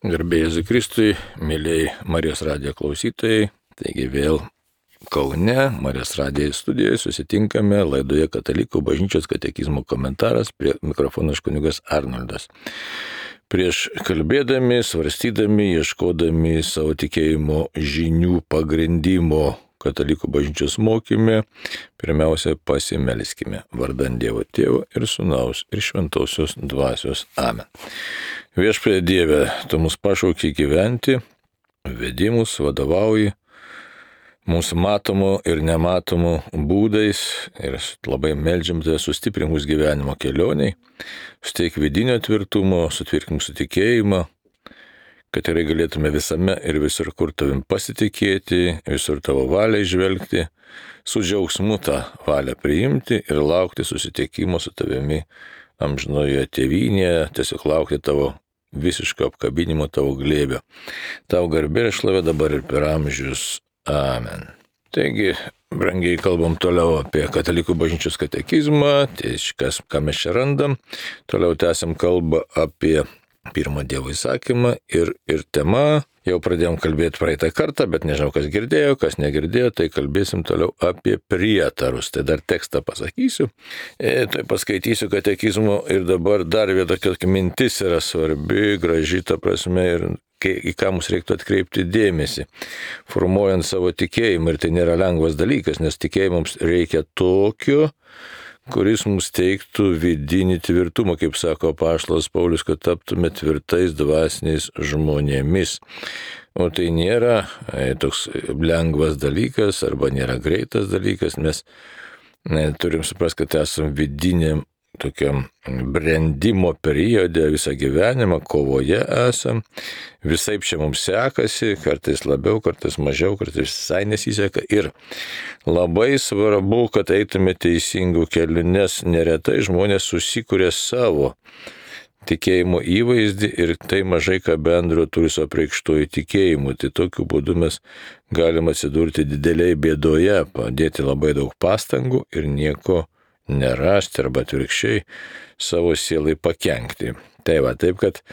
Garbė Jėzui Kristui, mėlyjei Marijos radijo klausytojai, taigi vėl Kaune, Marijos radijo studijoje susitinkame laidoje Katalikų bažnyčios katekizmo komentaras, prie mikrofono kunigas Arnoldas. Prieš kalbėdami, svarstydami, ieškodami savo tikėjimo žinių pagrindimo Katalikų bažnyčios mokyme, pirmiausia pasimelskime vardan Dievo Tėvo ir Sūnaus ir Šventosios Dvasios. Amen. Viešpatie Dieve, Tu mus pašauki gyventi, vedi mus, vadovauji mūsų matomų ir nematomų būdais ir labai meldžiam Tave sustiprink mūsų gyvenimo kelioniai, suteik vidinio tvirtumo, sutvirtink mūsų tikėjimą, kad tikrai galėtume visame ir visur, kur Tavim pasitikėti, visur Tavo valią žvelgti, su džiaugsmu tą valią priimti ir laukti susitikimo su Tavimi amžinoje tėvynėje, tiesiog laukti Tavo visiško apkabinimo, Tavo glėbio. Tau garbė ir šlovė dabar ir per amžius. Amen. Taigi, brangiai, kalbam toliau apie Katalikų bažnyčios katekizmą, tai ką mes čia randam. Toliau tęsiam kalbą apie pirmą Dievo įsakymą ir tema. Jau pradėjom kalbėti praeitą kartą, bet nežinau, kas girdėjo, kas negirdėjo, tai kalbėsim toliau apie prietarus. Tai dar tekstą pasakysiu, tai paskaitysiu katekizmo ir dabar dar viena tokia mintis yra svarbi, graži, ta prasme, ir į ką mums reiktų atkreipti dėmesį, formuojant savo tikėjimą. Ir tai nėra lengvas dalykas, nes tikėjimams reikia tokio, kuris mums teiktų vidinį tvirtumą, kaip sako apaštalas Paulius, kad taptume tvirtais dvasiniais žmonėmis. O tai nėra toks lengvas dalykas arba nėra greitas dalykas, mes turim suprasti, kad esame vidiniam tokiam brendimo periode, visą gyvenimą, kovoje esam, visaip čia mums sekasi, kartais labiau, kartais mažiau, kartais visai nesiseka ir labai svarbu, kad eitume teisingų kelių, nes neretai žmonės susikuria savo tikėjimo įvaizdį ir tai mažai ką bendro turi su apreikštuoju tikėjimu. Tai tokiu būdu mes galime atsidurti dideliai bėdoje, padėti labai daug pastangų ir nieko nerasti arba atvirkščiai savo sielai pakenkti. Tai va, taip kad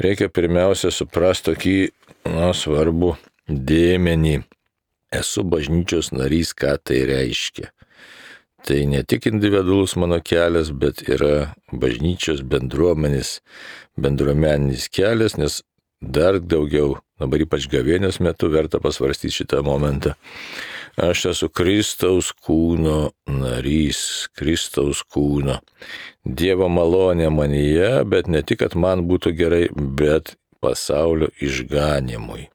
reikia pirmiausia suprasti tokį svarbų dėmenį. Esu bažnyčios narys, ką tai reiškia. Tai ne tik individualus mano kelias, bet yra bažnyčios bendruomeninis kelias, nes dar daugiau, dabar ypač gavėnios metu, verta pasvarstyti šitą momentą. Aš esu Kristaus kūno narys, Kristaus kūno. Dievo malonė manyje, bet ne tik, kad man būtų gerai, bet pasaulio išganimui.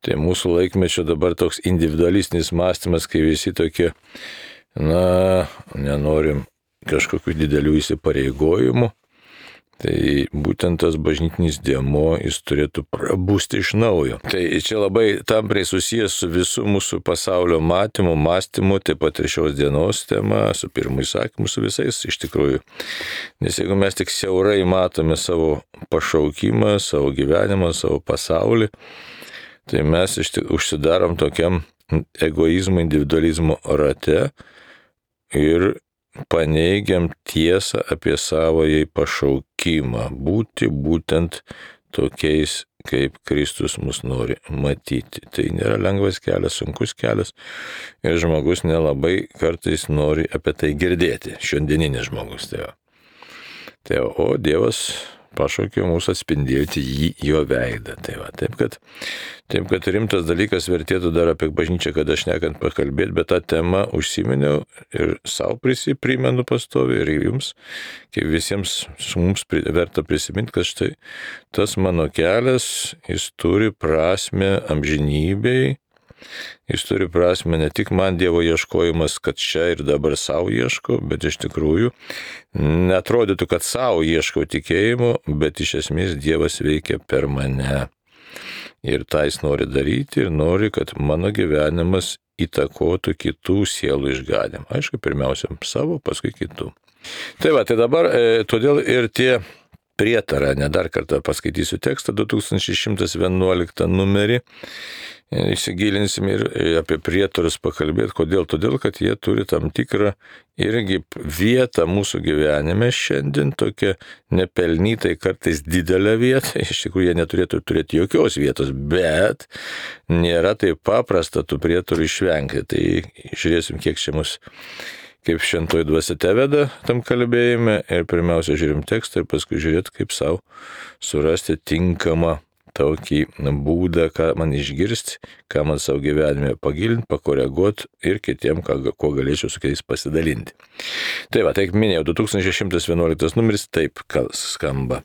Tai mūsų laikmečio dabar toks individualistinis mąstymas, kai visi tokie, nenorim kažkokių didelių įsipareigojimų. Tai būtent tas bažnytinis dėmuo, jis turėtų prabusti iš naujo. Tai čia labai tampriai susijęs su visų mūsų pasaulio matymu, mąstymu, taip pat ir šios dienos tema, su pirmu įsakymu, su visais iš tikrųjų. Nes jeigu mes tik siaurai matome savo pašaukimą, savo gyvenimą, savo pasaulį, tai mes užsidarom tokiam egoizmo, individualizmo rate ir paneigiam tiesą apie savąjį pašaukimą, būti būtent tokiais, kaip Kristus mus nori matyti. Tai nėra lengvas kelias, sunkus kelias ir žmogus nelabai kartais nori apie tai girdėti, šiandieninis žmogus. O Dievas pašaukė mūsų atspindėti jo veidą. Taip kad rimtas dalykas vertėtų dar apie bažnyčią, kad aš nekant pakalbėti, bet tą temą užsiminiau ir savo primenu pastoviai ir jums, kaip visiems mums verta prisiminti, kad štai tas mano kelias, jis turi prasmę amžinybei. Jis turi prasme ne tik man Dievo ieškojimas, kad čia ir dabar savo ieško, bet iš tikrųjų netrodytų, kad savo ieško tikėjimo, bet iš esmės Dievas veikia per mane. Ir tai jis nori daryti ir nori, kad mano gyvenimas įtakotų kitų sielų išganimą. Aišku, pirmiausia savo, paskui kitų. Tai dabar todėl ir tie prietarą, dar kartą paskaitysiu tekstą, 2111 numerį. įsigilinsim ir apie prietarus pakalbėti. Kodėl? Todėl, kad jie turi tam tikrą irgi vietą mūsų gyvenime šiandien, tokia nepelnytai kartais didelę vietą. Iš tikrųjų, jie neturėtų turėti jokios vietos, bet nėra taip paprasta tų prietarų išvengti. Tai žiūrėsim, kiek čia mus, kaip šventoji dvasia teveda tam kalbėjime. Ir pirmiausia, žiūrim tekstą ir paskui žiūrėt, kaip savo surasti tinkamą tokį būdą, ką man išgirsti, ką man savo gyvenime pagilinti, pakoreguoti ir kitiem, kuo galėčiau su kitais pasidalinti. Tai va, taip minėjau, 2111 numeris taip skamba.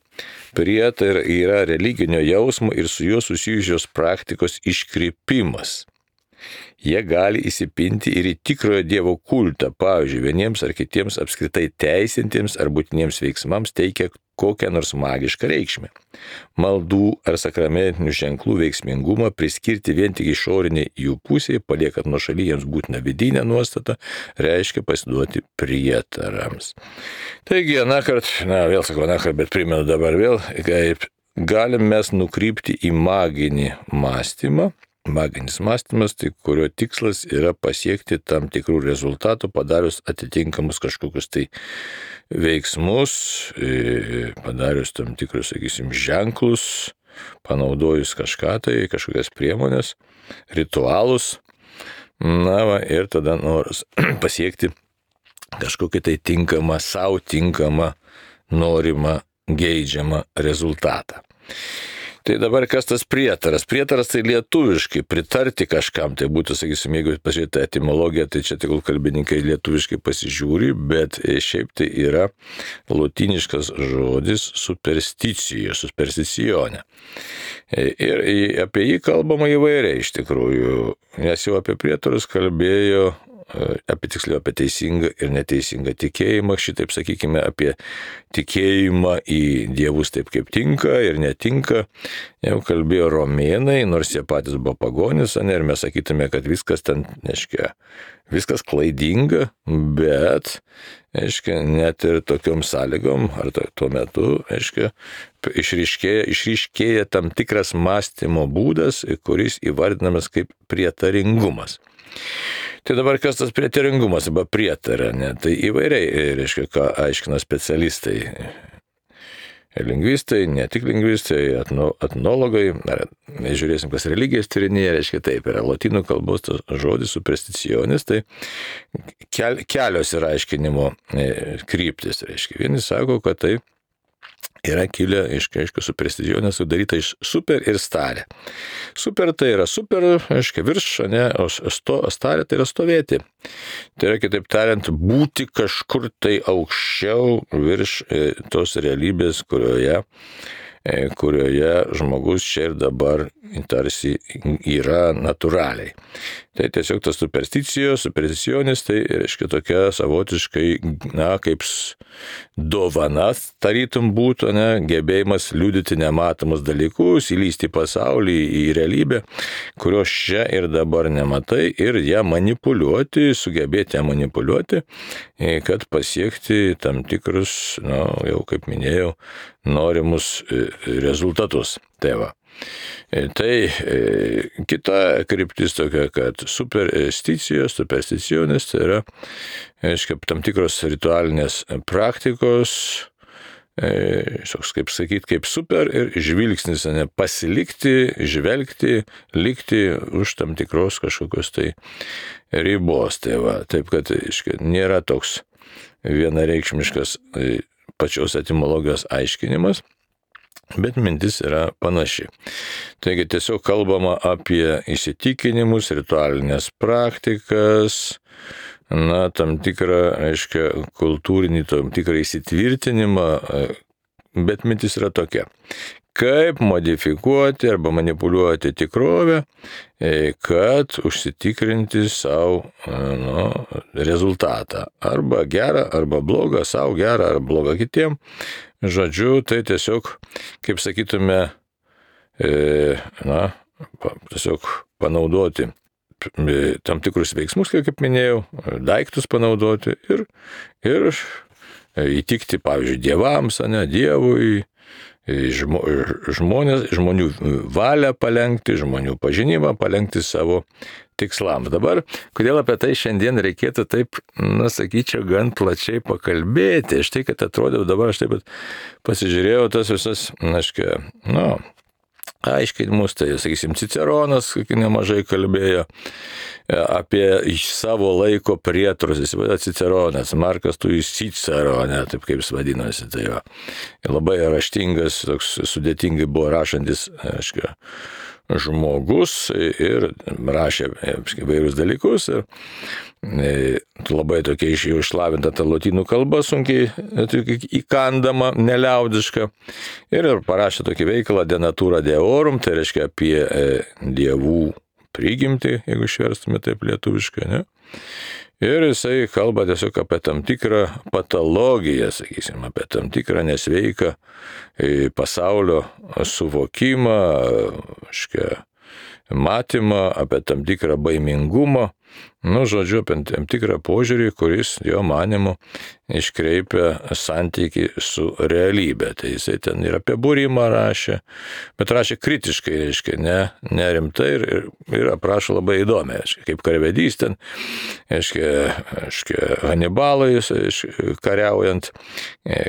Prietarai yra religinio jausmo ir su juo susijusios praktikos iškrypimas. Jie gali įsipinti ir į tikrojo Dievo kultą, pavyzdžiui, vieniems ar kitiems apskritai teisintiems ar būtiniems veiksmams teikia kokią nors magišką reikšmę. Maldų ar sakramentinių ženklų veiksmingumą priskirti vien tik išoriniai jų pusiai, paliekant nuošaly jiems būtiną vidinę nuostatą, reiškia pasiduoti prietarams. Taigi, vėl sakau, bet primenu dabar vėl, kaip galim mes nukrypti į maginį mąstymą. Maginis mąstymas, tai kurio tikslas yra pasiekti tam tikrų rezultatų, padarius atitinkamus kažkokius tai veiksmus, padarius tam tikrus, sakysim, ženklus, panaudojus kažką tai, kažkokias priemonės, ritualus, ir tada noras pasiekti kažkokį tai tinkamą, savo tinkamą, norimą, geidžiamą rezultatą. Tai dabar kas tas prietaras? Prietaras tai lietuviškai pritarti kažkam, tai būtų, sakysim, jeigu pažiūrėti etimologiją, tai čia tegul kalbininkai lietuviškai pasižiūri, bet šiaip tai yra lotyniškas žodis supersticionė. Ir apie jį kalbama įvairiai iš tikrųjų, nes jau apie prietarus kalbėjo, apie teisingą ir neteisingą tikėjimą, šitaip sakykime, apie tikėjimą į dievus taip kaip tinka ir netinka, jau kalbėjo romėnai, nors jie patys buvo pagonys, ir mes sakytume, kad viskas ten, viskas klaidinga, bet, net ir tokiom sąlygom, ar tuo metu, išryškėja tam tikras mąstymo būdas, kuris įvardinamas kaip prietaringumas. Tai dabar kas tas prietaringumas arba prietara, tai įvairiai, ką aiškina specialistai. Lingvistai, ne tik lingvistai, etnologai, žiūrėsim, kas religijas tyrinėja, taip, yra lotynų kalbos tas žodis supersticionis, tai kelios yra aiškinimo kryptis, Vieni sako, kad tai yra kilę iš supersticionės sudaryta iš super ir starė. Super tai yra super, virš, o starė tai yra stovėti. Tai yra, kitaip tariant, būti kažkur tai aukščiau virš tos realybės, kurioje žmogus čia ir dabar tarsi yra natūraliai. Tai tiesiog tas supersticionis, tai reiškia tokia savotiškai, kaip dovana, tarytum būtų, gebėjimas liudyti nematomus dalykus, įlysti į pasaulį, į realybę, kurios čia ir dabar nematai, ir ją manipuliuoti, sugebėti ją manipuliuoti, kad pasiekti tam tikrus, jau kaip minėjau, norimus rezultatus. Tai va. Tai kita kryptis tokia, kad supersticionis tai yra, tam tikros ritualinės praktikos, kaip sakyti, kaip super ir žvilgsnis, pasilikti, žvelgti, likti už tam tikros kažkokios tai ribos. Tai va, taip, kad nėra toks vienareikšmiškas pačios etimologijos aiškinimas, bet mintis yra panaši. Taigi tiesiog kalbama apie įsitikinimus, ritualinės praktikas, tam tikrą, kultūrinį, tam tikrą įsitvirtinimą, bet mintis yra tokia. Kaip modifikuoti arba manipuliuoti tikrovę, kad užsitikrinti savo rezultatą. Arba gerą, arba blogą, savo gerą, arba blogą kitiem. Žodžiu, tai tiesiog, kaip sakytume, tiesiog panaudoti tam tikrus veiksmus, kaip minėjau, daiktus panaudoti ir įtikti, pavyzdžiui, dievams, Dievui, žmonių valią palenkti, žmonių pažinimą palenkti savo tikslams. Dabar, kodėl apie tai šiandien reikėtų taip, sakyčiau, gan plačiai pakalbėti. Štai, kad atrodė, dabar aš taip pasižiūrėjau tas visas, aiškinimus, tai, sakysim, Ciceronas nemažai kalbėjo apie savo laiko prietarus. Jis vadina Ciceronas, Markas Tullijus Cicero, taip kaip jis vadinosi. Tai va. Labai raštingas, toks sudėtingai buvo rašantis, žmogus ir rašė įvairius dalykus. Ir labai tokia išlavinta ta lotynų kalba, sunkiai įkandama, neliaudiška. Ir parašė tokį veikalą De natura deorum, tai reiškia apie dievų prigimtį, jeigu išverstume taip lietuviškai, ne? Ir jisai kalba tiesiog apie tam tikrą patologiją, sakysim, apie tam tikrą nesveiką pasaulio suvokimą, matymą, apie tam tikrą baimingumą, žodžiu, apie tam tikrą požiūrį, kuris jo manimu iškreipia santykį su realybė. Tai jisai ten ir apie būrimą rašė, bet rašė kritiškai, reiškia, ne rimtai ir aprašo labai įdomiai, kaip karvedys ten, Hanibalai kariaujant,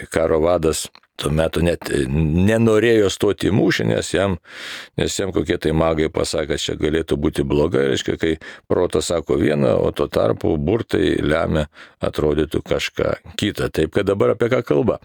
karo vadas. Tuo metu net nenorėjo stoti į mūšį, nes jam kokie tai magai pasakė, kad čia galėtų būti blogai, reiškia, kai protas sako vieną, o tuo tarpu burtai lemia atrodytų kažką kitą. Taip, kad dabar apie ką kalba?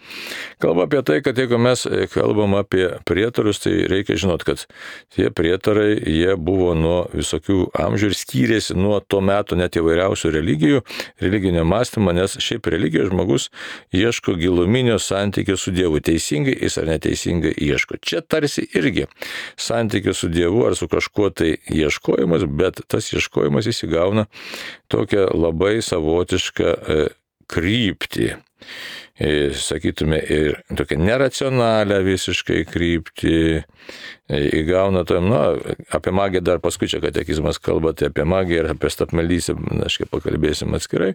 Kalba apie tai, kad jeigu mes kalbam apie prietarus, tai reikia žinot, kad tie prietarai, jie buvo nuo visokių amžių ir skyrėsi nuo to metu net įvairiausių religijų, religinio mąstymo, nes šiaip religijos žmogus ieško giluminio santykio su Dievu. Teisingai jis ar neteisingai ieško. Čia tarsi irgi santykio su Dievu ar su kažkuo tai ieškojimas, bet tas ieškojimas įsigauna tokią labai savotišką kryptį. Sakytume, ir tokią neracionalią visiškai kryptį įgauna tam, apie magiją dar paskui čia katekizmas kalba, tai apie magiją ir apie stapmeldystę, pakalbėsim atskirai.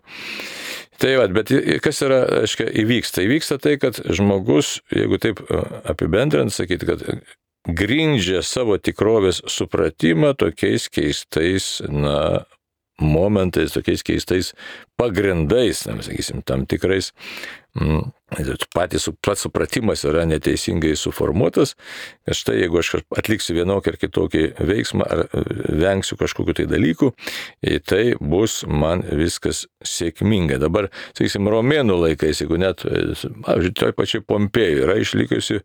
Tai bet kas yra, įvyksta? Įvyksta tai, kad žmogus, jeigu taip apibendrinant, sakyti, kad grindžia savo tikrovės supratimą tokiais keistais, momentais, tokiais keistais pagrindais, sakysim, tam tikrais, pats supratimas yra neteisingai suformuotas, kad štai jeigu aš atliksiu vienokį ar kitokį veiksmą ar vengsiu kažkokiu tai dalykų, tai bus man viskas sėkmingai. Dabar, sakysim, romėnų laikais, jeigu net, toj pačiai Pompėjui yra išlikusi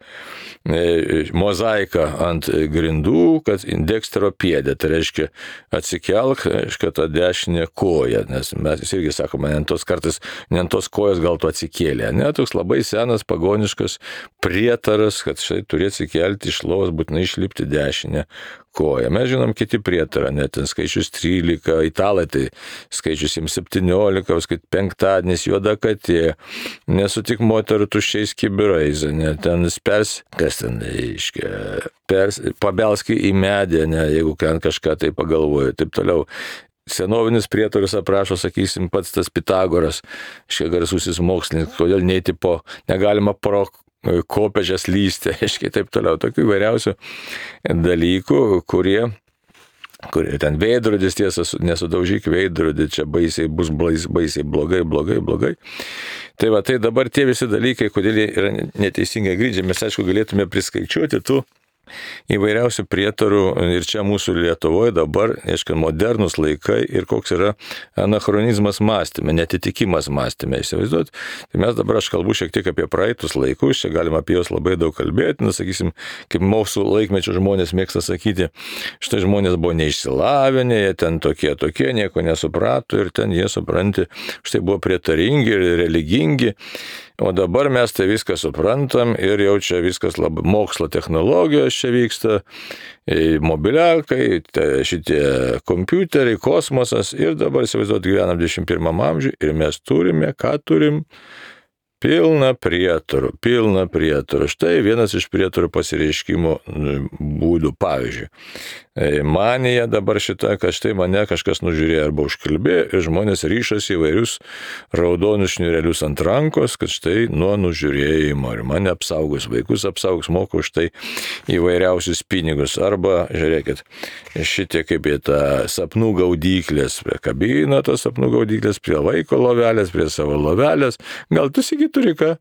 mozaika ant grindų, kad indekstero piedė, tai reiškia atsikelk, tą dešinę koją, nes mes irgi sakome, ne ant tos kojos gal tu atsikėlė, toks labai senas pagoniškas prietaras, kad štai turi atsikelti iš lovos, būtinai išlipti dešinę koją. Mes žinom kiti prietarą, net ten skaičius 13, italai tai skaičius 17, kad penktadienis juoda katė, nesutik moterų tuščiais kibirais, ten pabelski į medį, jeigu kažką tai pagalvoja, taip toliau. Senovinis prietorius aprašo, sakysim, pats tas Pitagoras, garsusis mokslininkas, kodėl negalima pro kopežės lysti, taip toliau. Tokių įvairiausių dalykų, kurie ten veidrodis, tiesa, nesudaužyk veidrodį, čia bus baisiai blogai. Tai dabar tie visi dalykai, kodėl jie yra neteisingai grindžiami, mes aišku galėtume priskaičiuoti tų įvairiausių prietarų ir čia mūsų Lietuvoje dabar, modernus laikai ir koks yra anachronizmas mąstyme, netitikimas mąstyme, įsivaizduot. Tai mes dabar, aš kalbu šiek tiek apie praeitus laikus, čia galima apie juos labai daug kalbėti, sakysim, kaip mūsų laikmečio žmonės mėgsta sakyti, štai žmonės buvo neišsilavinę, jie ten tokie, nieko nesuprato ir ten jie, supranti, štai buvo prietaringi ir religingi. O dabar mes tai viską suprantam ir jau čia viskas labai mokslo technologijos čia vyksta, mobiliakai, šitie kompiuteriai, kosmosas ir dabar įsivaizduot gyvenam 21 amžiuje ir mes turime, ką turim? Pilna prietarų. Štai vienas iš prietarų pasireiškimo būdų. Pavyzdžiui, manija dabar šita, kad štai mane kažkas nužiūrėjo arba užkalbėjo ir žmonės ryšasi įvairius raudonus šniurelius ant rankos, kad štai nuo nužiūrėjimo ir mane apsaugos, vaikus apsaugos, moka už tai įvairiausius pinigus. Arba, žiūrėkit, šitie kaip į tą sapnų gaudyklės, prie kabino tos sapnų gaudyklės, prie vaiko lovelės, prie savo lovelės. Gal tu Sigi turi ką?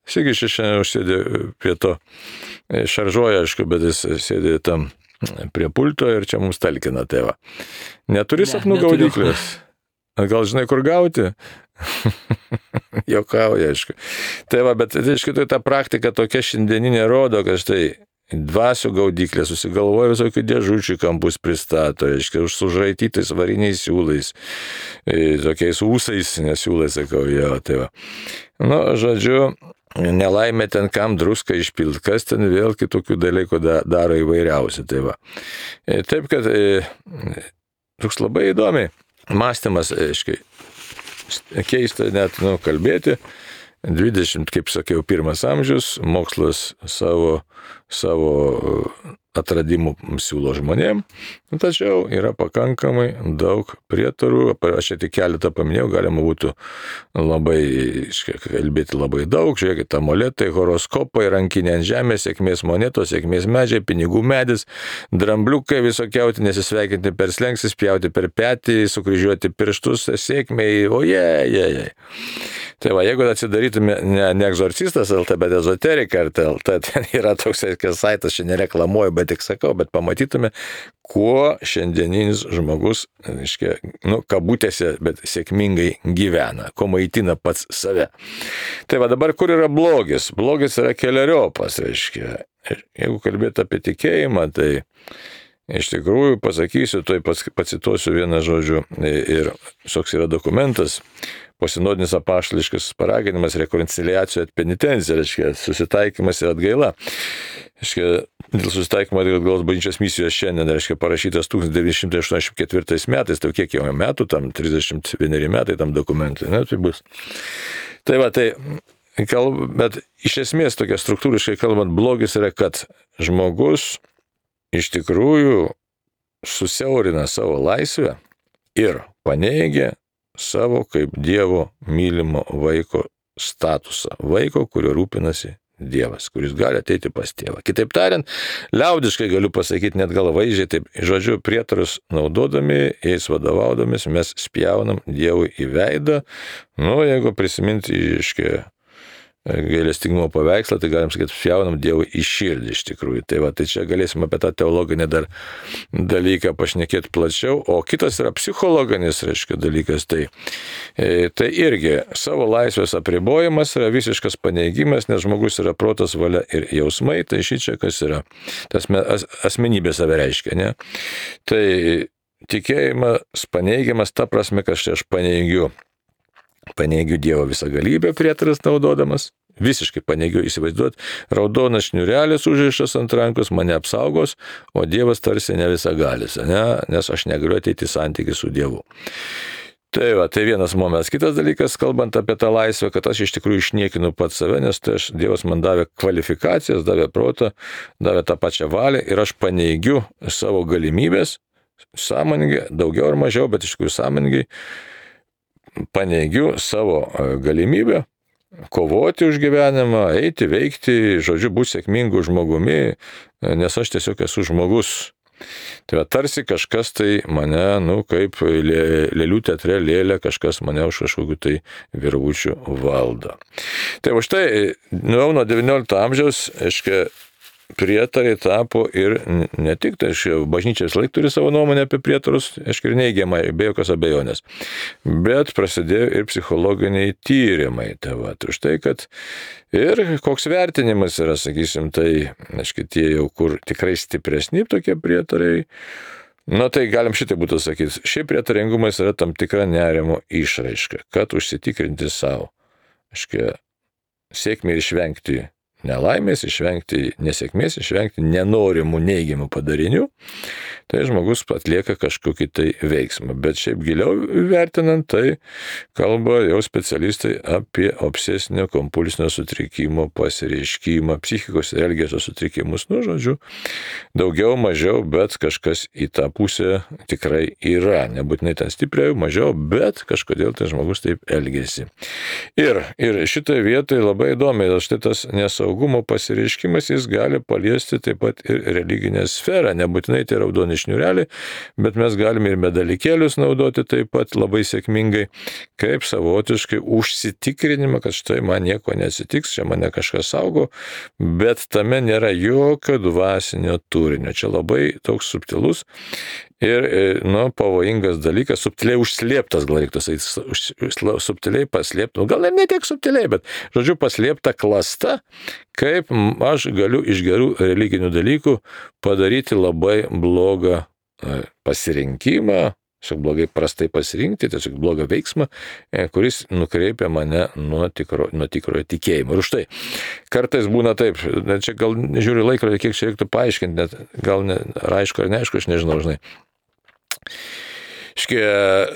Sigi šiandien užsėdė prie to, šaržuoja, aišku, bet jis sėdė tam prie pulto ir čia mums talkina tėvą. Neturi sapnų gaudyklės? Gal žinai, kur gauti? Jokauja, aišku. Tai va, bet aišku, tai ta praktika tokia šiandieninė rodo, kad štai dvasių gaudyklė susigalvoja visokių dėžučių kampus pristato, aišku, sužraitytais variniais siūlais, tokiais ūsais, nesiūlai, sakau, jo, tai va. Nu, žodžiu, nelaimė ten kam druską išpilt, kas ten vėl kitokių dalykų daro įvairiausi, tai va. Taip, kad toks labai įdomiai mąstymas, aiškiai, keista net, kalbėti. 20, kaip sakiau, 1 amžius, mokslas savo atradimų siūlo žmonėm, tačiau yra pakankamai daug prietarų, aš čia tik keletą paminėjau, galima būtų labai, kalbėti labai daug, žiūrėkit, amuletai, horoskopai, rankinė ant žemės, sėkmės monetos, sėkmės medžiai, pinigų medis, drambliukai visokiauti, nesisveikinti per slenksis, pjauti per petį, sukryžiuoti pirštus, sėkmei, ojej. Tai va, jeigu atsidarytume ne egzorcistas LT, bet ezoterika LT, ten yra toks saitas, čia nereklamuoju, bet tik sakau, bet pamatytume, kuo šiandieninis žmogus, reiškia, kabutėse, bet sėkmingai gyvena, kuo maitina pats save. Tai va, dabar kur yra blogis? Blogis yra keleriopas, reiškia. Jeigu kalbėti apie tikėjimą, tai iš tikrųjų pasakysiu, tai pacituosiu vieną žodžių ir toks yra dokumentas, posinodinis apaštališkas paraginimas, rekonciliacija et penitencija, reiškia, susitaikymas ir atgaila. Reiškia, dėl susitaikymo ir atgailos bažnyčios misijos šiandien, reiškia, parašytas 1984 metais, tai kiek jau metų, tam 31 metai tam dokumentui, tai bus. Tai va, bet iš esmės tokia struktūriškai kalbant, blogis yra, kad žmogus iš tikrųjų susiaurina savo laisvę ir paneigia savo kaip Dievo mylimo vaiko statusą. Vaiko, kurio rūpinasi Dievas, kuris gali ateiti pas tėvą. Kitaip tariant, liaudiškai galiu pasakyti, net gal vaizdžiai, taip, žodžiu, prietarus naudodami, jais vadovaudomis, mes spjaunam Dievui į veidą. Jeigu prisiminti iškia gailestingumo paveikslą, tai galim sakyti, spjaunam Dievui į širdį iš tikrųjų. Tai va, tai čia galėsim apie tą teologinį dar dalyką pašnekėti plačiau. O kitas yra psichologinis, reiškia, dalykas. Tai irgi savo laisvės apribojimas yra visiškas paneigimas, nes žmogus yra protas, valia ir jausmai. Tai šičia kas yra. Tas asmenybė save reiškia, ne? Tai tikėjimas paneigimas ta prasme, kad aš paneigiu Dievo visą galybę prietaras naudodamas, visiškai paneigiu įsivaizduoti, raudonas šniurelis užrištas ant rankos mane apsaugos, o Dievas tarsi ne visagalis, ne? Nes aš negaliu ateiti į santykį su Dievu. Tai va, tai vienas momentas. Kitas dalykas, kalbant apie tą laisvę, kad aš iš tikrųjų išniekinu pats save, nes Dievas man davė kvalifikacijas, davė protą, davė tą pačią valią ir aš paneigiu savo galimybės, sąmoningai, daugiau ar mažiau, bet iš tikrųjų sąmoningai, paneigiu savo galimybę kovoti už gyvenimą, eiti, veikti, žodžiu, būti sėkmingu žmogumi, nes aš tiesiog esu žmogus. Tai va, tarsi kažkas tai mane, kaip lėlių teatre lėlė, kažkas mane už kažkokių tai virvučių valdo. Tai va štai, nuo 19 amžiaus, aiškiai, prietarai tapo ir ne tik, tai bažnyčia vis laik turi savo nuomonę apie prietarus, aišku, ir neigiamai, be jokios abejonės, bet prasidėjo ir psichologiniai tyrimai. Tai va, už tai, kad ir koks vertinimas yra, sakysim, tai, aišku, tie jau kur tikrai stipresni tokie prietarai, tai galim šitai būtų sakyti, šiaip prietaringumas yra tam tikra nerimo išraiška, kad užsitikrinti savo, aišku, sėkmę ir išvengti nelaimės, išvengti nesėkmės, išvengti nenorimų neigiamų padarinių, tai žmogus atlieka kažkokį tai veiksmą. Bet šiaip giliau vertinant, tai kalba jau specialistai apie obsesinio kompulsinio sutrikimo pasireiškimą, psichikos ir elgesio sutrikimus. Nu, žodžiu, daugiau, mažiau, bet kažkas į tą pusę tikrai yra. Nebūtinai ten stipriau, mažiau, bet kažkodėl tai žmogus taip elgesi. Ir šitoje vietoje labai įdomiai, štai tas nesaugumo pasireiškimas, jis gali paliesti taip pat ir religinę sferą. Nebūtinai tai raudoni šniūreliai, bet mes galime ir medalikėlius naudoti taip pat labai sėkmingai, kaip savotiškai užsitikrinimą, kad štai man nieko neatsitiks, čia mane kažkas saugo, bet tame nėra jokio dvasinio turinio. Čia labai toks subtilus ir, pavojingas dalykas, subtiliai užslėptas, gal reiktų sakyti, subtiliai paslėpta, gal ir ne tiek subtiliai, bet, žodžiu, paslėpta klasta, kaip aš galiu iš gerų religinių dalykų padaryti labai blogą pasirinkimą, blogai prastai pasirinkti, tiesiog blogą veiksmą, kuris nukreipia mane nuo tikrojo tikėjimo. Ir už tai kartais būna taip, čia gal žiūriu laikrodį, kiek čia reiktų paaiškinti, net gal aišku ar neaišku, aš nežinau, žinai.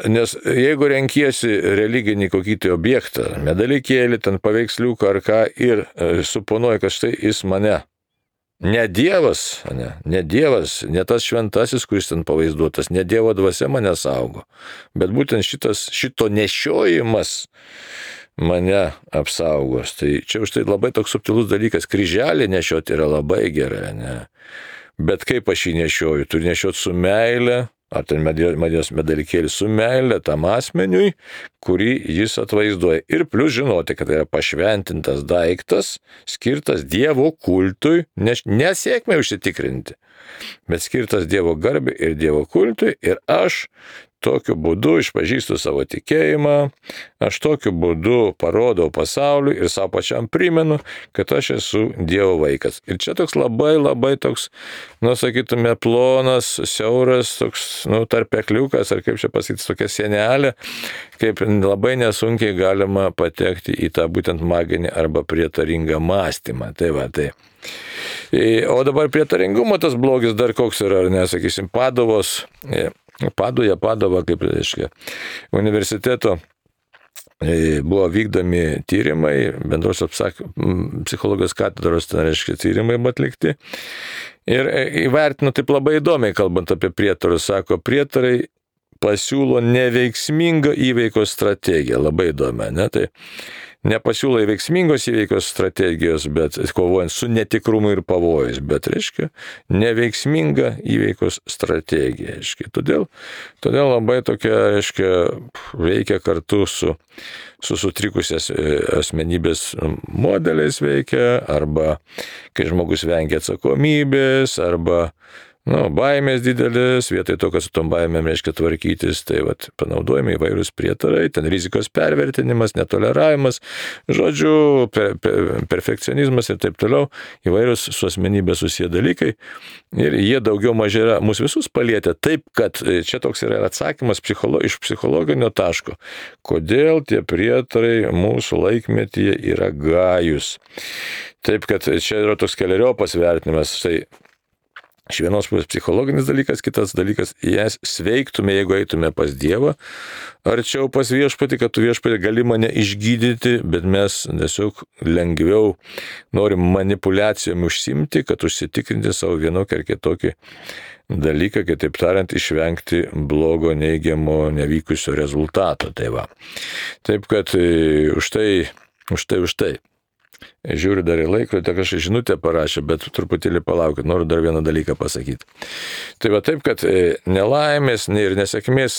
Nes jeigu renkiesi religinį kokį tai objektą, medalikėlį, ten paveiksliuką ar ką, ir suponuoji, kad štai jis mane, ne Dievas, ne tas šventasis, kuris ten pavaizduotas, ne Dievo dvasia mane saugo, bet būtent šito nešiojimas mane apsaugos. Tai čia už tai labai toks subtilus dalykas, kryželį nešioti yra labai gerai, ne? Bet kaip aš jį nešioju, turiu nešioti su meile, ar ten Marijos medalikėlį su meile tam asmeniui, kurį jis atvaizduoja. Ir plius žinoti, kad tai yra pašventintas daiktas, skirtas Dievo kultui, nesėkmei užsitikrinti, bet skirtas Dievo garbei ir Dievo kultui, ir aš tokiu būdu išpažįstu savo tikėjimą, aš tokiu būdu parodau pasauliui ir savo pačiam primenu, kad aš esu Dievo vaikas. Ir čia toks labai toks, sakytume, plonas, siauras, toks, tarpekliukas, ar kaip čia pasakyti, tokia sienelė, kaip labai nesunkiai galima patekti į tą būtent maginį arba prietaringą mąstymą. Tai va, tai. O dabar prietaringumo tas blogis dar koks yra, ar ne, sakysim, Padova, kaip reiškia, universiteto buvo vykdomi tyrimai, bendrosios psichologijos katedros, tai reiškia, tyrimai buvo atlikti. Ir įvertino taip labai įdomiai, kalbant apie prietarus, sako, prietarai pasiūlo neveiksmingą įveikos strategiją, labai įdomią, ne, tai nepasiūlo veiksmingos įveikos strategijos, bet kovojant su netikrumu ir pavojais, bet, reiškia, neveiksminga įveikos strategija, reiškia. Todėl labai tokia, reiškia, veikia kartu su sutrikusias asmenybės modeliais veikia, arba kai žmogus vengia atsakomybės, arba baimės didelis, vietoj to, kad su tom baimėm reiškia tvarkytis, tai panaudojami įvairūs prietarai, ten rizikos pervertinimas, netoleravimas, žodžiu, perfekcionizmas ir taip toliau, įvairūs su asmenybė susiję dalykai, ir jie daugiau mažiau mus visus palietė, taip, kad čia toks yra atsakymas iš psichologinio taško, kodėl tie prietarai mūsų laikmetyje yra gajus. Taip, kad čia yra toks keleriopas vertinimas, tai iš vienos pusės psichologinis dalykas, kitas dalykas, jas sveiktume, jeigu eitume pas Dievą, arčiau pas viešpatį, kad tu viešpatį gali mane išgydyti, bet mes tiesiog lengviau norim manipuliacijom užsimti, kad užsitikrinti savo vienokį ar kitokį dalyką, kitaip tariant, išvengti blogo, neigiamo, nevykusio rezultato. Tai va. Taip, kad už tai. Žiūriu dar į laikrodį, kažkaip žinutę parašė, bet truputėlį palaukit, noriu dar vieną dalyką pasakyti. Tai va taip, kad nelaimės ir nesėkmės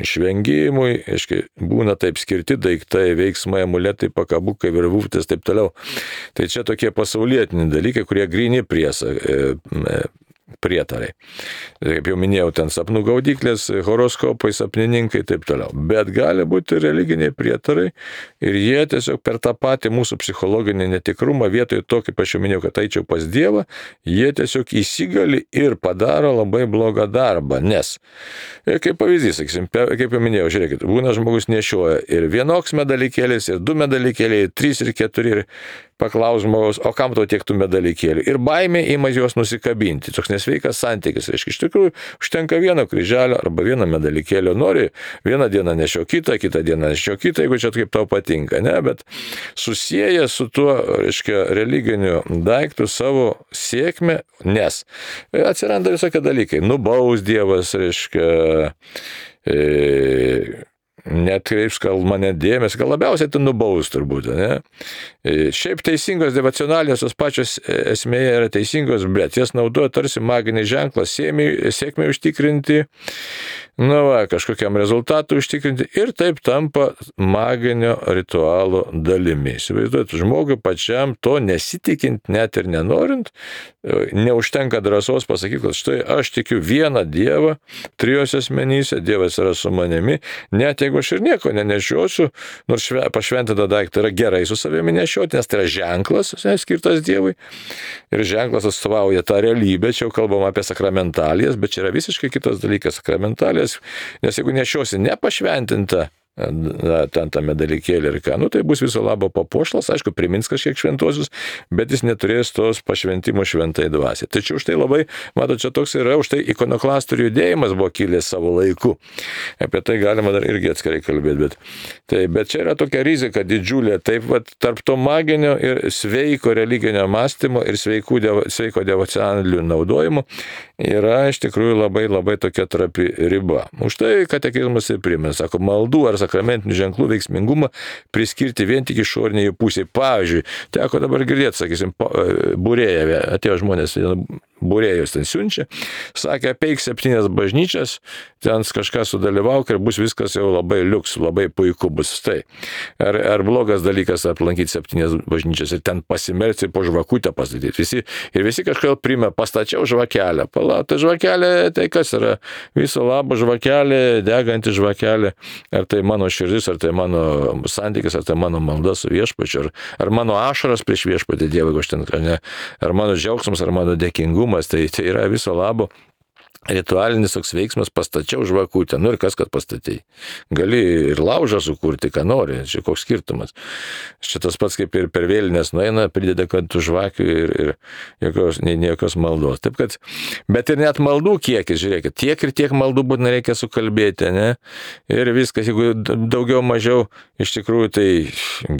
išvengimui, aiškiai, būna taip skirti daiktai, veiksmai, amuletai, pakabukai, virvutės, taip toliau. Tai čia tokie pasaulietiniai dalykai, kurie gryni prietarai. Kaip jau minėjau, ten sapnų gaudyklės, horoskopai, sapnininkai, taip toliau. Bet gali būti religiniai prietarai ir jie tiesiog per tą patį mūsų psichologinį netikrumą, vietoj to, kaip aš jau minėjau, kad eičiau pas Dievą, jie tiesiog įsigali ir padaro labai blogą darbą. Nes, kaip pavyzdys, sakysim, kaip jau minėjau, žiūrėkit, būna žmogus nešioja ir vienoks medalikėlis, ir 2 medalikėliai, ir 3, ir 4, paklaus žmogaus, o kam tau tiek tų medalikėlių? Ir baimė ima juos nusikabinti. Toks nesveikas santykis. Reiškia, iš tikrųjų, užtenka vieno kryželio arba vieno medalikėlio. Nori vieną dieną nešio kitą dieną nešio kitą, jeigu čia kaip tau patinka, ne? Bet susieja su tuo, reiškia, religiniu daiktu savo sėkmę, nes atsiranda visokie dalykai. Nubaus Dievas, reiškia, netkreips gal mane dėmesį, gal labiausiai tai nubaus turbūt, ne? Šiaip teisingos devocionalijos, tos pačios esmėje yra teisingos, bet jas naudoja tarsi maginį ženklą sėkmę užtikrinti, kažkokiam rezultatui užtikrinti ir taip tampa maginio ritualo dalimi. Įsivaizduojate, žmogui pačiam to nesitikint, net ir nenorint, neužtenka drąsos pasakyti, kad štai aš tikiu vieną Dievą, trijose asmenyse, Dievas yra su manimi, net jeigu aš ir nieko nenešiosiu, nors pašventintą daiktą yra gerai su savimi nešioti, nes tai yra ženklas, skirtas Dievui, ir ženklas atstovauja tą realybę, čia jau kalbam apie sakramentalijas, bet čia yra visiškai kitas dalykas sakramentalijas, nes jeigu nešiosi nepašventintą ten tą medalikėlį ir ką, tai bus viso labo papuošalas, aišku, primins kažkiek šventosius, bet jis neturės tos pašventimo šventai dvasiai. Tačiau už tai labai, matot, čia toks yra, už tai ikonoklastų judėjimas buvo kilęs savo laiku. Apie tai galima dar irgi atskirai kalbėti, bet čia yra tokia rizika didžiulė, taip vat, tarp to maginio ir sveiko religinio mąstymo ir sveiko devocionalių naudojimo yra iš tikrųjų labai labai tokia trapi riba. Už tai katekizmas ir primena, sako, maldų ar sakramentinių ženklų veiksmingumą priskirti vien tik išoriniai pusėje. Pavyzdžiui, teko dabar girdėti, sakysim, būrėja, atėjo žmonės, būrėjus ten siunčia, sakė, apeik 7 bažnyčias, ten kažką sudalyvauk ir bus viskas jau labai liuks, labai puiku bus. Tai. Ar blogas dalykas aplankyti 7 bažnyčias ir ten pasimelsti po žvakutę pastatyti. Visi kažkaip primė, pastačiau žvakelę. Tai žvakelė, tai kas yra? Viso labo žvakelė, deganti žvakelė. Ar tai mano širdis, ar tai mano santykis, ar tai mano malda su viešpačiu, ar mano ašaras prieš viešpatį Dievą, jeigu aš ten, ar mano džiaugsmas, ar mano dėkingumas, tai yra viso labo ritualinis toks veiksmas, pastačiau žvakutę. Ir kas, kad pastatei? Gali ir laužą sukurti, ką nori, čia koks skirtumas. Čia tas pats kaip ir per vėlinės nueina, prideda, kad tu žvakių ir jokios maldos. Taip kad, bet ir net maldų kiekis, žiūrėkit, tiek ir tiek maldų būtina reikia sukalbėti, ne? Ir viskas, jeigu daugiau mažiau, iš tikrųjų tai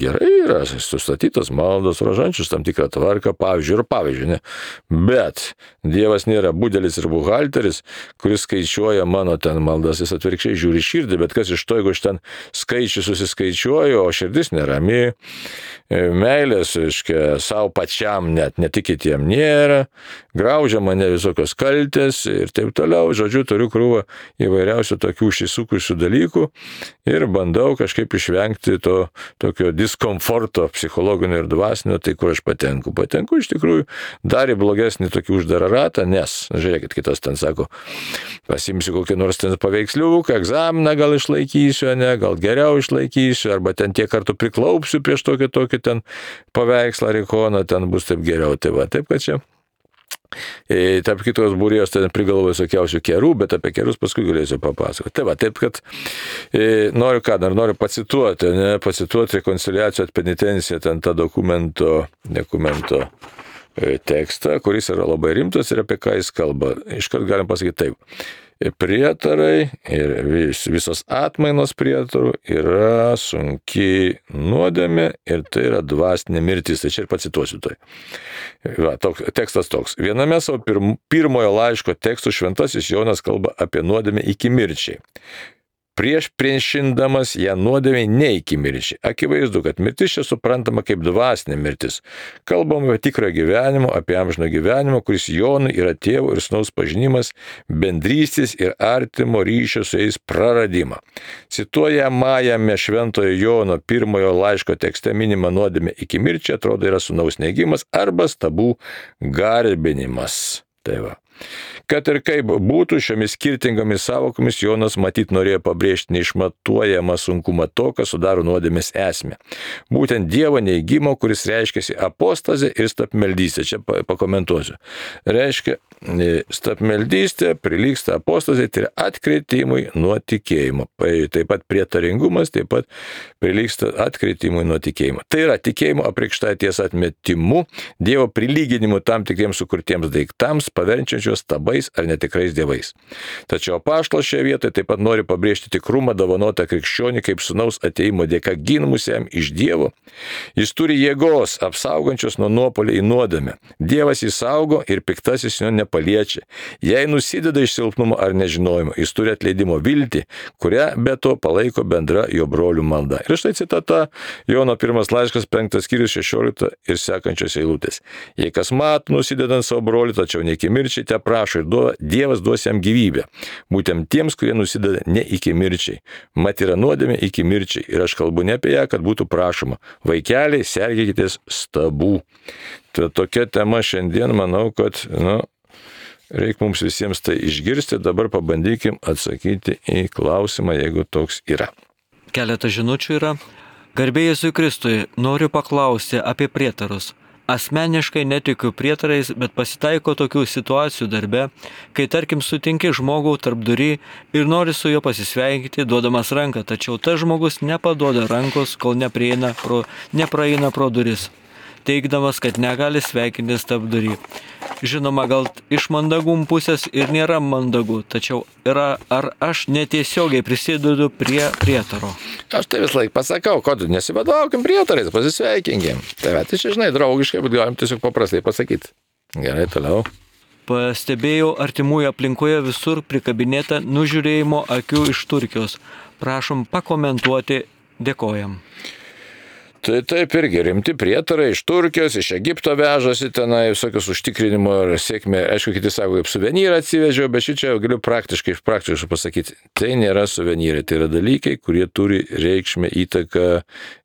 gerai yra, sustatytos maldos, rožančius tam tikrą tvarką, pavyzdžiui, ne? Bet Dievas nėra budelis ir buhalteris, kuris skaičiuoja mano ten maldas, jis atvirkščiai žiūri širdį, bet kas iš to, jeigu aš ten skaičių susiskaičiuoju, o širdis nerami, meilės, aiškia, savo pačiam net, ne tik kitiem nėra, graužia mane visokios kaltės ir taip toliau, žodžiu, turiu krūvą įvairiausių tokių užsisukusių dalykų ir bandau kažkaip išvengti to tokio diskomforto psichologinio ir dvasinio, tai kur aš patenku. Patenku iš tikrųjų dar į blogesnį tokį uždarą ratą, nes, žiūrėkit, kitas ten sako, pasimsiu kokį nors ten paveiksliuką, egzaminą gal išlaikysiu, ne, gal geriau išlaikysiu, arba ten tiek kartų priklaupsiu prieš tokį ten paveikslą ar ikoną, ten bus taip geriau. Tai va, taip kad čia. Tarp kitos būrėjos ten prigalvoju visokiausių kerų, bet apie kerus paskui galėsiu papasakoti. Tai va, taip kad noriu pacituoti rekonciliacijos penitenciją, ten tą dokumento tekstą, kuris yra labai rimtas ir apie ką jis kalba. Iškart galim pasakyti taip. Prietarai ir visos atmainos prietarų yra sunki nuodėmė ir tai yra dvasinė mirtis. Tai čia ir pacituosiu tai. Va, tekstas toks. Viename savo pirmojo laiško tekstų šventasis Jonas kalba apie nuodėmę iki mirčiai. Priešindamas ją nuodėmei ne iki mirčiai. Akivaizdu, kad mirtis čia suprantama kaip dvasinė mirtis. Kalbam apie tikrą gyvenimą, apie amžiną gyvenimą, kuris Jonui yra tėvo ir sūnaus pažinimas, bendrystės ir artimo ryšio su jais praradimą. Cituojamajame šventojo Jono pirmojo laiško tekste minima nuodėmė iki mirčiai, atrodo, yra sūnaus neigimas arba stabų garbinimas. Tai va. Kad ir kaip būtų, šiomis skirtingomis savokomis Jonas matyt norėjo pabrėžti neišmatuojamą sunkumą to, kas sudaro nuodėmės esmę. Būtent Dievo neigimo, kuris reiškiasi apostazė ir stabmeldystė. Čia pakomentuosiu. Reiškia, stabmeldystė prilygsta apostazė, tai yra atkritimui nuo tikėjimo. Taip pat prietaringumas taip pat prilygsta atkritimui nuo tikėjimo. Tai yra tikėjimo apreikšta tiesa atmetimu, Dievo prilyginimu tam tikriems sukurtiems daiktams, paverčiančios stabais ar netikrais dievais. Tačiau apaštalas šioje vietoje taip pat nori pabrėžti tikrumą dovanotą krikščionį kaip sūnaus atėjimo dėka ginamusiam iš Dievo. Jis turi jėgos, apsaugančios nuo nuopuolio į nuodėmę. Dievas jį saugo ir piktasis jo nepaliečia. Jei nusideda iš silpnumo ar nežinojimo, jis turi atleidimo viltį, kurią be to palaiko bendra jo brolių malda. Ir štai citata Jono 1 laiškas 5 skyrius 16 ir sekančios eilutės. Jei kas mato nusidedant savo brolį, tačiau ne iki mirčiai te prašo ir Dievas duos jam gyvybę. Būtent tiems, kurie nusideda ne iki mirčiai. Mat yra nuodėmė iki mirčiai. Ir aš kalbu ne apie ją, kad būtų prašoma. Vaikeliai, sergėkitės stabų. Tai tokia tema šiandien, manau, kad, reikia mums visiems tai išgirsti. Dabar pabandykim atsakyti į klausimą, jeigu toks yra. Keletą žinučių yra. Garbė Jėzui Kristui, noriu paklausti apie prietarus. Asmeniškai netikiu prietarais, bet pasitaiko tokių situacijų darbe, kai tarkim sutinki žmogų tarp durį ir nori su juo pasisveikinti, duodamas ranką, tačiau tas žmogus nepaduoda rankos, kol nepraeina pro duris, teigdamas, kad negali sveikintis tarp durį. Žinoma, gal iš mandagum pusės ir nėra mandagu, tačiau ar aš netiesiogiai prisidedu prie prietaro? Aš tai vis laik pasakau, kad nesivadovaukim prietarais, pasisveikinkim. Tai čia, žinai, draugiškai, bet galim tiesiog paprastai pasakyti. Gerai, toliau. Pastebėjau artimųjų aplinkoje visur prikabinėtą nužiūrėjimo akių iš Turkijos. Prašom pakomentuoti, dėkojam. Tai taip irgi rimti prietarai iš Turkijos, iš Egipto vežasi tenai, visokius užtikrinimo ir sėkmė. Aišku, kiti sako, kaip suvenyrą atsivežiau, bet šičia jau galiu praktiškai pasakyti. Tai nėra suvenyrai, tai yra dalykai, kurie turi reikšmę įtaką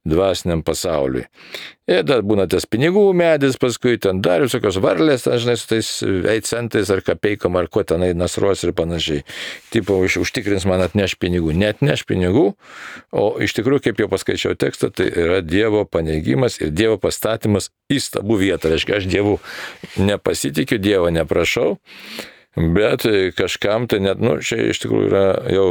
dvasiniam pasauliui. Ir dar būna tas pinigų medis, paskui ten dar visokios varlės, žinai, su tais centais ar kapeikom, ar kuo tenai nasruos ir panašiai. Tipo, užtikrins man atneš pinigų. Net neš pinigų, o iš tikrųjų, kaip jau paskaičiau tekstą, tai yra Dievo paneigimas ir Dievo pastatymas į stabų vietą. Reiškia, aš Dievu nepasitikiu, Dievo neprašau, bet kažkam tai net, čia iš tikrųjų yra jau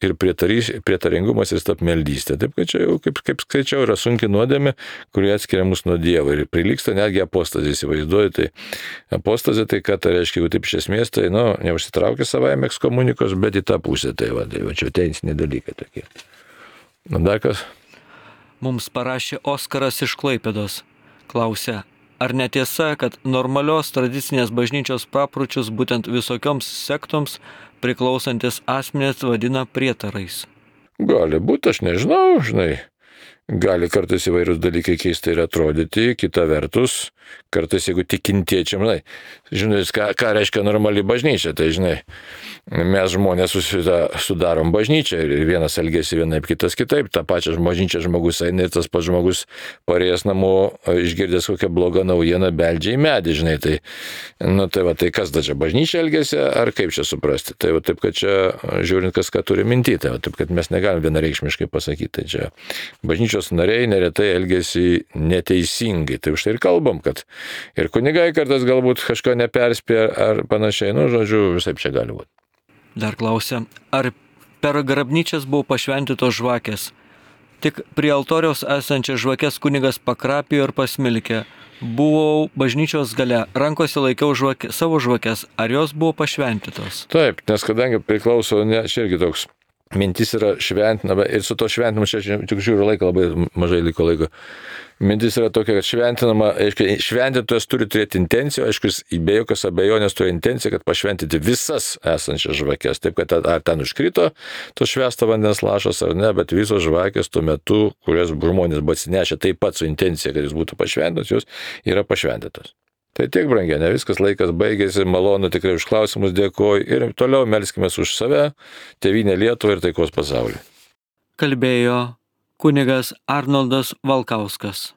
ir prietaringumas ir stabmeldystė. Taip, kad čia jau, kaip skaičiau, yra sunki nuodėmė, kurie atskiria mus nuo Dievo ir prilygsta netgi apostazė, įsivaizduoju. Tai apostazė, tai ką tai reiškia, jeigu taip iš esmės, tai, neužsitraukia savaime ekskomunikos, bet į tą pusę, tai čia teisiniai dalykai tokie. Dar kas? Mums parašė Oskaras iš Klaipėdos. Klausia, ar netiesa, kad normalios tradicinės bažnyčios papročius būtent visokioms sektoms priklausantis asmenys vadina prietarais? Gali būti, aš nežinau, žinai. Gali kartais įvairūs dalykai keistai ir atrodyti, kita vertus, kartais jeigu tikintiečiam, žinai, ką reiškia normali bažnyčia, tai žinai, mes žmonės sudarom bažnyčią ir vienas elgėsi vienaip, kitas kitaip, tą pačią bažnyčią žmogus eina ir tas pats žmogus parėjęs namo, išgirdęs kokią blogą naujieną, beldžia į medį, žinai, tai kas da čia bažnyčia elgėsi, ar kaip čia suprasti, tai taip, kad čia žiūrint, kas ką turi minty, tai taip, kad mes negalim vienareikšmiškai pasakyti, tai čia bažnyčios nariai neretai elgėsi neteisingai, tai už tai ir kalbam, kad ir kunigai kartais galbūt kažko neperspėja ar panašiai, žodžiu, visai čia gali būti. Dar klausia, ar per grabnyčias buvo pašventytos žvakės? Tik prie altoriaus esančias žvakės kunigas pakrapijo ir pasmilkė. Buvau bažnyčios gale, rankose laikiau savo žvakės, ar jos buvo pašventytos? Taip, nes kadangi priklauso, čia irgi toks mintis yra šventinama ir su to šventinimu, čia tik žiūriu laiką, labai mažai liko laiko. Mintis yra tokia, kad šventinama, šventintojas turi turėti intenciją, aišku, be jokios abejonės turi intenciją, kad pašventinti visas esančias žvakės. Taip, kad ar ten užkrito to švęsto vandens lašas ar ne, bet visos žvakės tuo metu, kurias žmonės buvo atsinešę taip pat su intencija, kad jis būtų pašventintos, jos yra pašventintos. Tai tiek, brangiai, ne viskas, laikas baigėsi, malonu tikrai už klausimus, dėkoju ir toliau melskimės už save, tėvynę Lietuvą ir taikos pasaulį. Kalbėjo kunigas Arnoldas Valkauskas.